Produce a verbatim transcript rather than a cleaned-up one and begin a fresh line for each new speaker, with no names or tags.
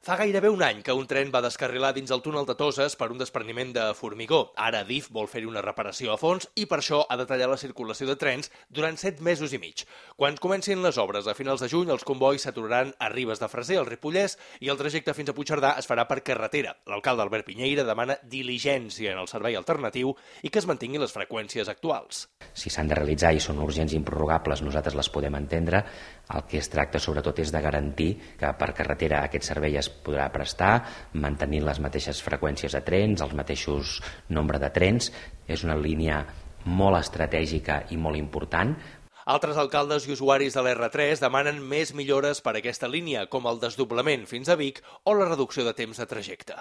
Fa gairebé un any que un tren va descarrilar dins el túnel de Toses per un despreniment de formigó. Ara Adif vol fer-hi una reparació a fons i per això ha detallat la circulació de trens durant set mesos i mig. Quan comencin les obres a finals de juny, els convois s'aturaran a Ribes de Freser, al Ripollès, i el trajecte fins a Puigcerdà es farà per carretera. L'alcalde Albert Piñeira demana diligència en el servei alternatiu i que es mantinguin les freqüències actuals.
Si s'han de realitzar i són urgents i improrrogables, nosaltres les podem entendre. El que es tracta sobretot és de garantir que per carretera aquest servei es podrà prestar, mantenint les mateixes freqüències de trens, els mateixos nombre de trens. És una línia molt estratègica i molt important.
Altres alcaldes i usuaris de l'erre tres demanen més millores per a aquesta línia, com el desdoblament fins a Vic o la reducció de temps de trajecte.